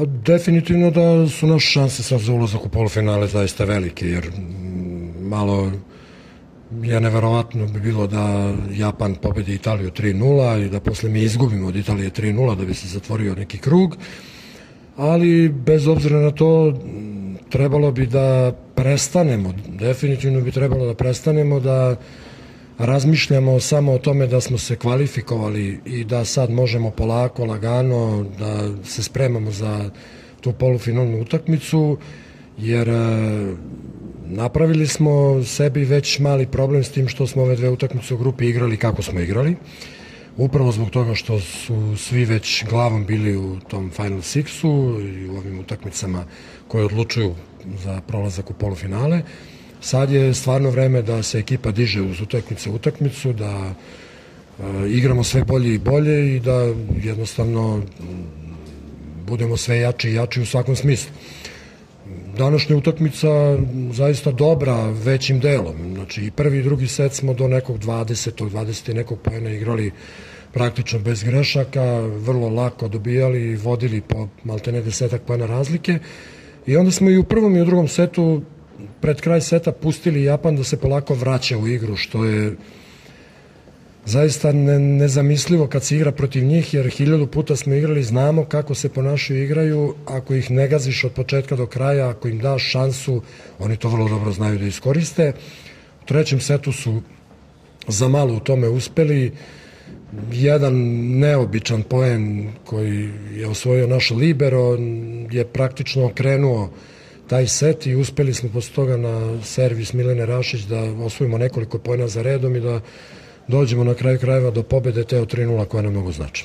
Definitivno da su naše šanse sad za ulazak u polufinale zaista velike, jer malo je neverovatno bi bilo da Japan pobedi Italiju 3-0 i da posle mi izgubimo od Italije 3-0 da bi se zatvorio neki krug, ali bez obzira na to trebalo bi da prestanemo, definitivno bi trebalo da prestanemo da razmišljamo samo o tome da smo se kvalifikovali i da sad možemo polako, lagano da se spremamo za tu polufinalnu utakmicu, jer napravili smo sebi već mali problem s tim što smo ove dve utakmice u grupi igrali kako smo igrali. Upravo zbog toga što su svi već glavom bili u tom Final Sixu i u ovim utakmicama koje odlučuju za prolazak u polufinale. Sad je stvarno vreme da se ekipa diže uz utakmicu, da igramo sve bolje i bolje i da jednostavno budemo sve jači i jači u svakom smislu. Današnja utakmica zaista dobra većim delom. Znači i prvi i drugi set smo do nekog 20 i nekog poena igrali praktično bez grešaka, vrlo lako dobijali i vodili po maltene 10 poena razlike. I onda smo i u prvom i u drugom setu pred kraj seta pustili Japan da se polako vraća u igru, što je zaista nezamislivo kad se igra protiv njih, jer 1000 puta smo igrali, znamo kako se ponašaju i igraju, ako ih ne gaziš od početka do kraja, ako im daš šansu, oni to vrlo dobro znaju da iskoriste. U trećem setu su za malo u tome uspeli, jedan neobičan poen koji je osvojio naš libero je praktično okrenuo taj set i uspeli smo posle toga na servis Milene Rašić da osvojimo nekoliko poena za redom i da dođemo na kraju krajeva do pobede te od 3-0 koja nam mnogo znači.